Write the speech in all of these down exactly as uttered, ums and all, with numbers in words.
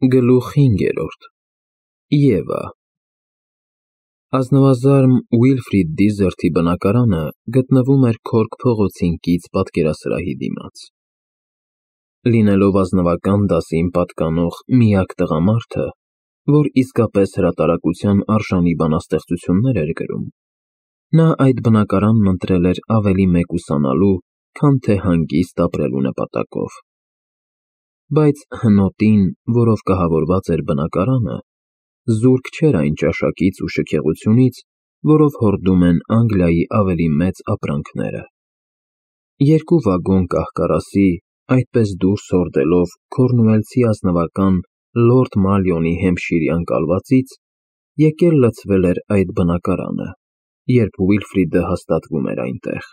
Գլուխ հինգերորդ Եվա Ազնվազարմ Ուիլֆրիդ Դիզերթի բնակարանը գտնվում էր Քորք փողոցին կից պատկերասրահի դիմաց։ Լինելով ազնվական դասին պատկանող միակ տղամարդը, որ իսկապես հրատարակության արժանի բանաստեղծություններ էր գրում, նա այդ բնակարանն ընտրել էր ավելի մեկուսանալու, քան թե հանգիստ ապրելու նպատակով։ Բայց հնոտին, որով կահավորված էր բնակարանը, զուրկ չէր այն ճաշակից ու շքեղությունից, որով հորդում են Անգլիայի ավելի մեծ ապրանքները։ Երկու վագոն կահ֊կարասի, այդպես դուրս հորդելով քորնուելցի ազնվական Լորդ Մալյոնի հեմփշիրյան կալվածից, եկել լցվել էր այդ բնակարանը, երբ Ուիլֆրիդը հաստատվում էր այնտեղ։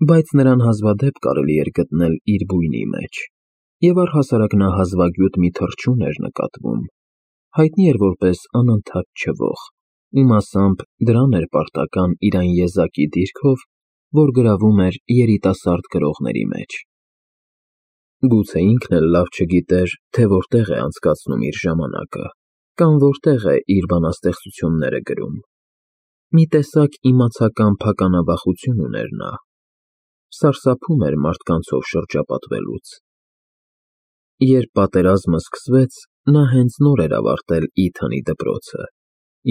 Բայց նրան հազվադեպ կարելի էր գտնել իր բույնի մեջ, և առհասարակ նա հազվագյուտ մի թռչուն էր նկատվում, հայտնի էր որպես անընդհատ չվող, ու մասամբ դրան էր պարտական իր այն եզակի դիրքով, որ գրավում էր երիտասարդ գրողների մեջ։ Գուցե ինքն էլ լավ չգիտեր, թե որտեղ է անցկացնում իր ժամանակը, կամ որտեղ է իր բանաստեղծությունները գրում։ Մի տեսակ իմացական փականավախություն ուներ նա, սարսափում էր մարդկանցով շրջապատվելուց։ Երբ պատերազմը սկսվեց, նա հենց նոր էր ավարտել Իթոնի դպրոցը,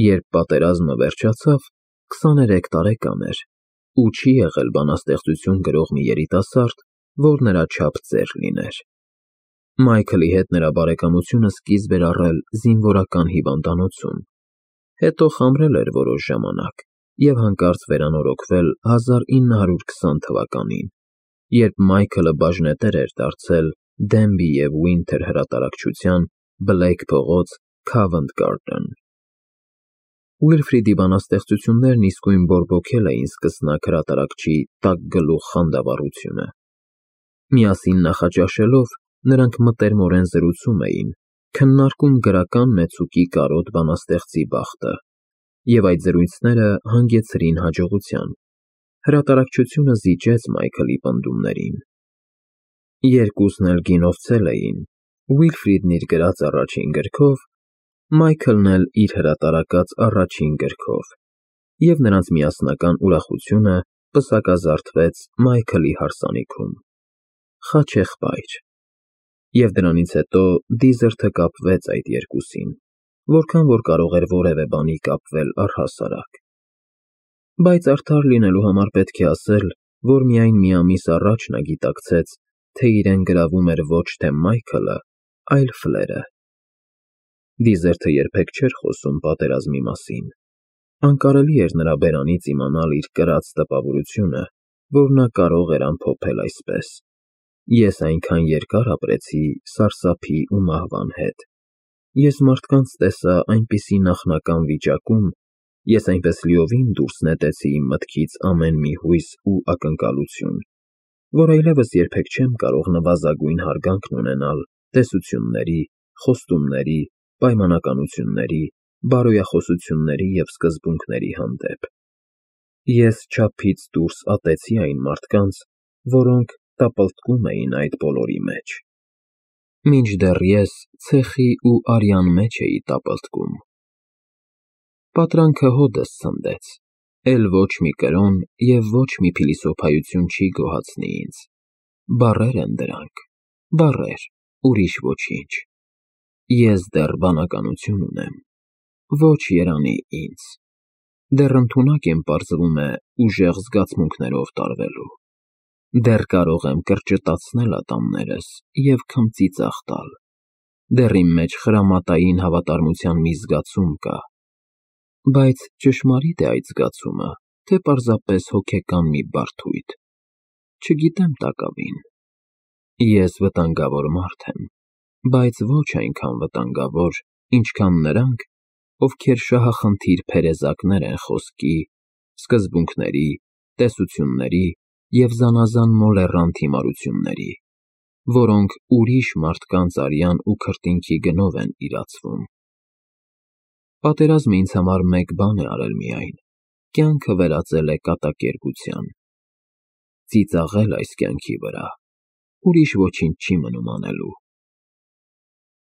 երբ պատերազմը վերջացավ, քսաներեք տարեկան էր, ու չի եղել բանաստեղծություն գրող մի երիտասարդ, որ նրա չափ ծեր լիներ։ Մայքլի հետ նրա բարեկամությունը սկիզբ էր առել զինվորական հիվանդանոցում, հետո խամրել էր որոշ ժամանակ և հանկարծ վերանորոգվել հազար ինը հարյուր քսան թվականին, երբ Մայքլը բաժնետեր էր դարձել Դենբի և Ուինթեր հրատարակչության Բլեյք փողոց Քավենթ Գարդեն։ Ուիլֆրիդի բանաստեղծություններն իսկույն բորբոքել էին սկսնակ հրատարակչի տաք գլուխ խանդավառությունը։ Միասին նախաճաշելով, նրանք մտերմորեն զրուցում էին, քննարկում գրական մեծուկի կարոտ բանաստեղծի բախտը, և այդ զրույցները հանգեցրին հաջողության։ Հրատարակչությունը զիջեց Մայքլի պնդումներին։ Երկուսն էլ գինովցել էին, Ուիլֆրիդն իր գրած առաջին գրքով, Մայքլն էլ իր հրատարակած առաջին գրքով, և նրանց միասնական ուրախությունը պսակազարդվեց Մայքլի հարսանիքում։ Խաչեղբայր։ Եվ դրանից հետո Դիզերթը կապվեց այդ երկուսին, որքան որ կարող էր որևէ բանի կապվել առհասարակ։ Բայց արդար լինելու համար պետք է ասել, որ միայն մի ամիս առաջ նա գիտակցեց, թե իրեն գրավում էր ոչ թե Մայքլը, այլ Ֆլերը։ Դիզերթը երբեք չէր խոսում պատերազմի մասին։ Անկարելի էր նրա բերանից իմանալ իր կրած տպավորությունը, որ նա կարող էր ամփոփել այսպես. «Ես այնքան երկար ապրեցի սարսափի ու մահվան հետ։ Ես մարդկանց տեսա այնպիսի նախնական վիճակում, ես այնպես լիովին դուրս նետեցի իմ մտքից ամեն մի հույս ու ակնկալություն, որ այլևս երբեք չեմ կարող նվազագույն հարգանքն ունենալ տեսությունների, խոստումների, պայմանականությունների, բարոյախոսությունների և սկզբունքների հանդեպ։ Ես չափից դուրս ատեցի այն մարդկանց, որոնք տապալտկում էին այդ բոլորի մեջ։ Մինչդեռ ես ցեխի ու արյան մեջ էի տապալտկում։ Պատրանքը հօդս ցնդեց, էլ ոչ մի կրոն և ոչ մի փիլիսոփայություն չի գոհացնի ինձ։ Բառեր են դրանք, բառեր, ուրիշ ոչինչ։ Ես դեռ բանականություն ունեմ, ոչ երանի ինձ, դեռ ընդունակ եմ պարզվում է ուժեղ զգացմունքներով տարվելու, դեռ կարող եմ կրճտացնել ատամներս և քմծի ծախ տալ, դեռ իմ մեջ խրամատային հավատարմության մի զգացում կա, բայց ճշմարի՞տ է այդ զգացումը, թե պարզապես հոգեկան մի բարդույթ, չգիտեմ տակավին։ Ես վտանգավոր մարդ եմ, բայց ոչ այնքան վտանգավոր, ինչքան նրանք, ովքեր շահախնդիր փերեզակներ են խոսքի, սկզբունքների, տեսությունների և զանազան մոլեռանդ հիմարությունների, որոնք ուրիշ մարդկանց արյան ու քրտինքի գնով են իրացվում։ Պատերազմը ինձ համար մեկ բան է արել միայն, կյանքը վերածել է կատակերգության։ Ծիծաղել այս կյանքի վրա, ուրիշ ոչինչ չի մնում անելու։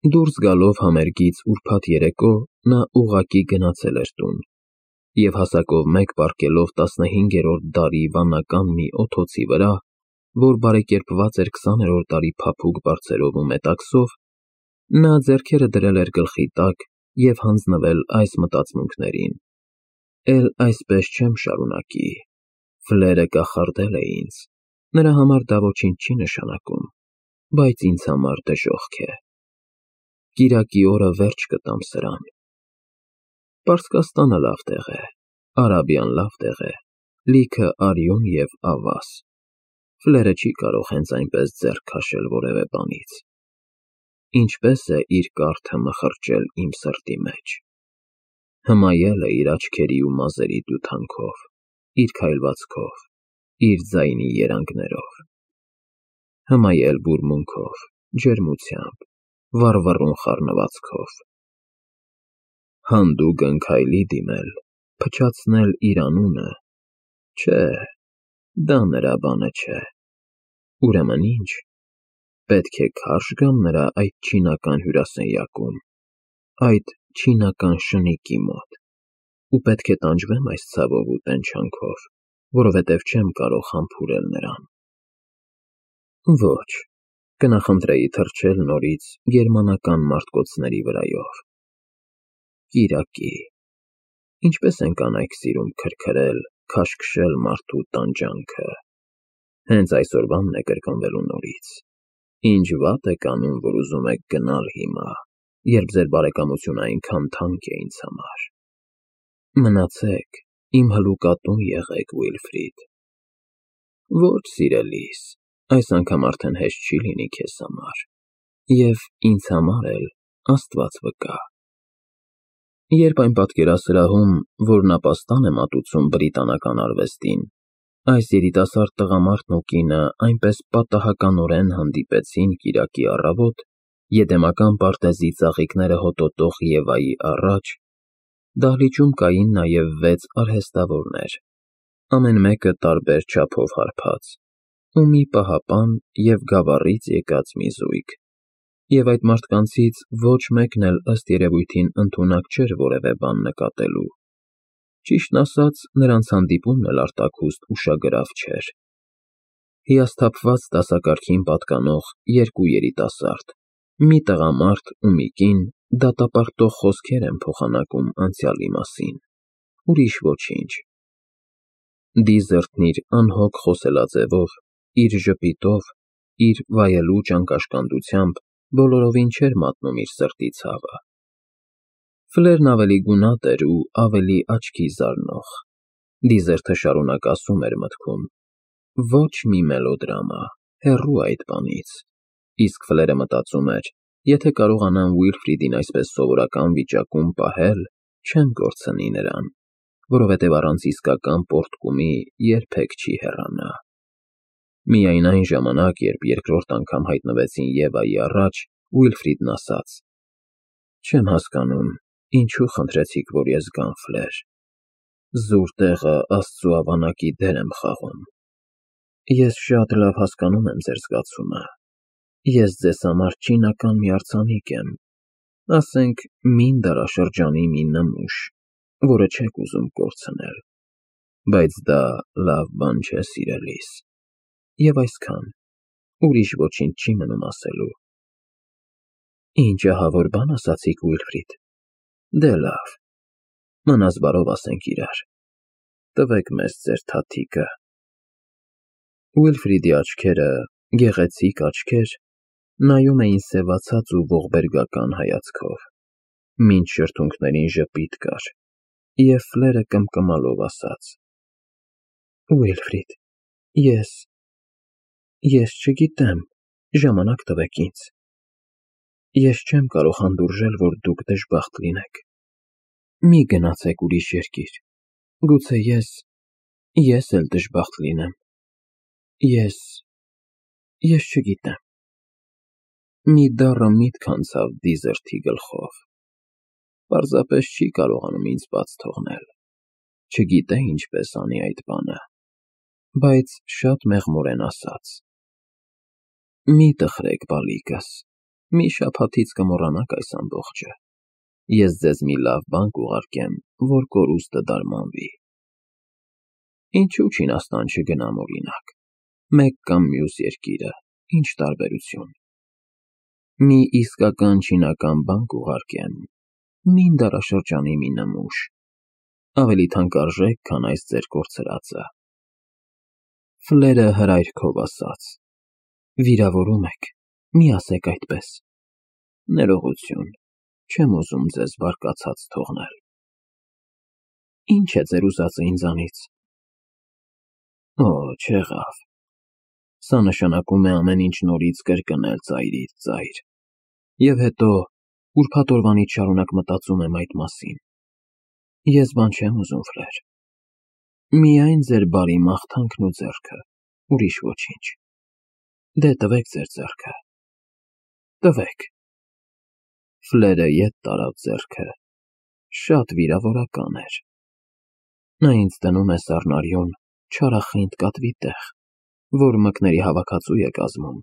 Դուրս գալով համերգից ուրբաթ երեկո նա ուղղակի գնացել էր տուն և հասակով մեկ պառկելով տասնհինգերորդ դարի վանական մի օթոցի վրա, որ բարեկերպված էր քսաներորդ դարի փափուկ բարձերով ու մետաքսով, նա ձեռքերը դրել էր գլխի տակ և հանձնվել այս մտածմունքներին. «Էլ այսպես չեմ շարունակի, Ֆլերը կախարդել է ինձ, նրա համար դա ոչինչ չի նշանակում, բայց ինձ համար դժոխք է։ Կիրակի օրը վերջ կտամ սրան։ Պարսկաստանը լավ տեղ է, Արաբիան լավ տեղ է, լիքը արյուն և ավազ, Ֆլերը չի կարող հենց այնպես ձեռք քաշել որևէ բանից։ Ինչպես է իր կարդը մխրճել իմ սրտի մեջ, հմայել է իր աչքերի ու մազերի դյութանքով, իր քայլվածքով, իր ձայնի երանգներով, հմայել բուրմունքով, ջերմությամբ, վառվռուն խառնվածքով, հանդուգն քայլի դիմել, փչացնել իր անունը, չէ, դա նրա բանը չէ։ Ուրեմն ի՞նչ, պետք է քարշ գամ նրա այդ չինական հյուրասենյակում, այդ չինական շնիկի մոտ, ու պետք է տանջվե՞մ այս ցավով ու տենչանքով, որովհետև չեմ կարող համբուրել նրան։ Ոչ, կնախընտրեի թռչել նորից գերմանական մարտկոցների վրայով։ Կիրակի, ինչպես են կանայք սիրում քրքրել, քաշքշել մարդու տանջանքը։ Հենց այսօրվանն է կրկնվելու նորից։ Ինչ վատ եք անում, որ ուզում եք գնալ հիմա, երբ ձեր բարեկամությունը այնքան թանկ է ինձ համար։ Մնացեք, իմ հլուկատուն եղեք, Ուիլֆրիդ։ Ոչ, սիրելիս, այս անգամ արդեն հեշտ չի լինի քեզ համար, և ինձ համար էլ, Աստված վկա։ Երբ այն պատկերասրահում, որն ապաստան է մատուցում բրիտանական արվեստին, այս երիտասարդ տղամարդն ու կինը այնպես պատահականորեն հանդիպեցին կիրակի առավոտ Եդեմական պարտեզի ծաղիկները հոտոտող Եվայի առաջ, դահլիճում կային նաև վեց արհեստավորներ, ամեն մեկը տարբեր չափով հարբած, ու մի պահապան և Գավառից եկած մի զույգ, և այդ մարդկանցից ոչ մեկն էլ ըստ երևույթին ընդունակ չէր որևէ բան նկատելու, ճիշտն ասած, նրանց հանդիպումն էլ արտաքուստ ուշագրավ չէր։ Հիասթափված դասակարգին պատկանող երկու երիտասարդ, մի տղամարդ ու մի կին դատապարտող խոսքեր են փոխանակում անցյալի մասին, ուրիշ ոչինչ։ Դիզերտն իր անհոգ խոսելաձևով, իր ժպիտով, իր վայելուչ անկաշկանդությամբ բոլորովին չէր մատնում իր սրտի ցավը։ Ֆլերն ավելի գունատ էր ու ավելի աչքի զարնող։ Դիզերտը շարունակ ասում էր մտքում. ոչ մի մելոդրամա, հեռու այդ բանից, իսկ Ֆլերը մտածում էր, եթե կարողանամ Ուիլֆրիդին այսպես սովորական վիճակում պահել, չեմ կորցնի նրան, որովհետև առանց իսկական պոռթկումի երբեք չի հեռանա։ Միայն այն ժամանակ, երբ երկրորդ անգամ հայտնվեցին Եվայի առաջ, Ուիլֆրիդն ասաց. «Չեմ հասկանում, ինչու խնդրեցիք, որ ես գամ, Ֆլեր։ Զուր տեղը Աստծու ավանակի դեր եմ խաղում։ Ես շատ լավ հասկանում եմ ձեր զգացումը։ Ես ձեզ համար չինական մի արձանիկ եմ, ասենք մին դարաշրջանի մի նմուշ, որը չեք ուզում կորցնել, բայց դա լավ բան չէ, սիրելիս, և այսքան, ուրիշ ոչինչ չի մնում ասելու»։ Ինչ ահավոր բան ասացիք, Ուիլֆրիդ։ Դե լավ, մնաս բարով ասենք իրար։ Տվեք մեզ ձեր թաթիկը։ Ուիլֆրիդի աչքերը, գեղեցիկ աչքեր, նայում էին սևացած ու ողբերգական հայացքով, մինչ շրթունքներին ժպիտ կար, և Ֆլերը կմկմալով ասաց. Ուիլֆրիդ, ես… ես չգիտեմ, ժամանակ տվեք ինձ։ Ես չեմ կարող հանդուրժել, որ դուք դժբախտ լինեք։ Մի գնացեք ուրիշ երկիր, գուցե ես… ես էլ դժբախտ լինեմ։ Ես… ես չգիտեմ։ Մի դառը միտք անցավ Դիզերթի գլխով, պարզապես չի կարողանում ինձ բաց թողնել, չգիտե ինչպես անի այդ բանը, բայց շատ մեղմորեն ասաց. «Մի տխրեք, բալիկս, մի շաբաթից կմոռանաք այս ամբողջը։ Ես ձեզ մի լավ բան կուղարկեմ, որ կորուստը դարմանվի։ Ինչու Չինաստան չգնամ, օրինակ, մեկ կամ մյուս երկիրը, ինչ տարբերություն։ Մի իսկական չինական բան կուղարկեմ, մին դարաշրջանի մի նմուշ, ավելի թանկարժեք, քան այս ձեր կորցրածը։ Ֆլերը հրայրքով ասաց. վիրավորում եք, մի ասեք այդպես։ Ներողություն, չեմ ուզում ձեզ բարկացած թողնել։ Ինչ է ձեր ուզածը ինձանից։ Օ, չեղավ։ Սա նշանակում է ամեն ինչ նորից կրկնել ծայրից ծայր։ Եվ հետո ուրբաթ օրվանից շարունակ մտածում եմ այդ մասին։ Ես բան չեմ ուզում, Ֆլեր։ Միայն ձեր բարի մաղթանքն ու ձեռքը, ուրիշ ոչինչ։ Դե տվեք ձեր ձեռքը։ Տվեք։ Ֆլերը ետ տարավ ձեռքը, շատ վիրավորական էր։ Նա ինձ դնում է սառնարյուն, չարախինդ կատվի տեղ, որ մկների հավաքածու է կազմում,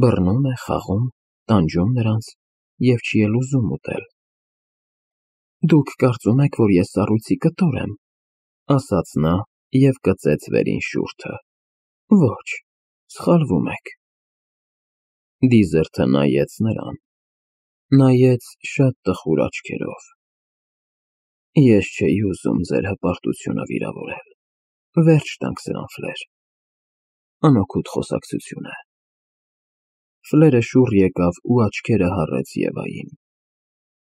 բռնում է, խաղում, տանջում նրանց և չի էլ ուզում ուտել։ Դուք կարծում եք, որ ես սառույցի կտոր եմ, ասաց նա և կծեց վերին շուրթը։ Ոչ, սխալվում եք։ Դիզերթը նայեց նրան, նայեց շատ տխուր աչքերով։ Ես չէի ուզում ձեր հպարտությունը վիրավորել, վերջ տանք սրան, Ֆլեր։ Անօգուտ խոսակցություն է։ Ֆլերը շուռ եկավ ու աչքերը հառեց Եվային։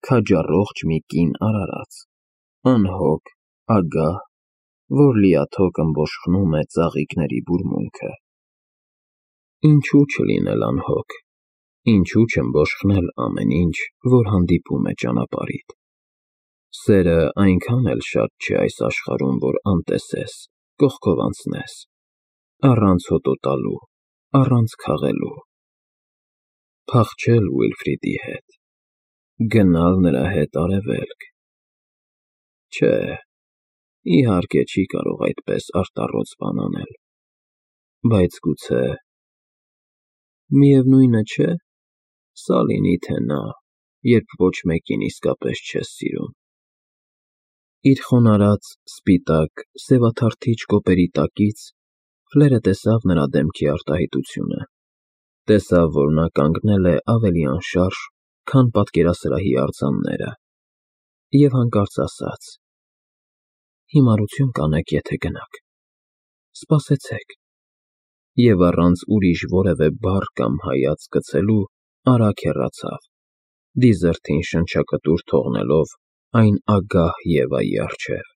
Քաջառողջ մի կին արարած, անհոգ, ագահ, որ լիաթոք ըմբոշխնում է ծաղիկների բուրմունքը։ Ինչու չլինել անհոգ, ինչու չըմբոշխնել ամեն ինչ, որ հանդիպում է ճանապարհիդ։ Սերը այնքան էլ շատ չէ այս աշխարհում, որ անտեսես, կողքով անցնես, առանց հոտոտալու, առանց քաղելու։ Փախչել Ուիլֆրիդի հետ, գնալ նրա հետ արևելք։ Չէ, իհարկե չի կարող այդպես արտառոց բան անել, բայց գուցե… Միևնույն է, չէ՞, սա լինի թե նա, երբ ոչ մեկին իսկապես չես սիրում։ Իր խոնարհած, սպիտակ, սևաթարթիչ կոպերի տակից Ֆլերը տեսավ նրա դեմքի արտահայտությունը, տեսավ, որ նա կանգնել է ավելի անշարժ, քան պատկերասրահի արձանները, և հանկարծ ասաց. Հիմարություն կանեք, եթե գնաք, սպասեցեք, և առանց ուրիշ որևէ բառ կամ հայացք գցելու արագ հեռացավ, դիզերթին շնչակտուր թողնելով այն ագահ Եվայի առջև։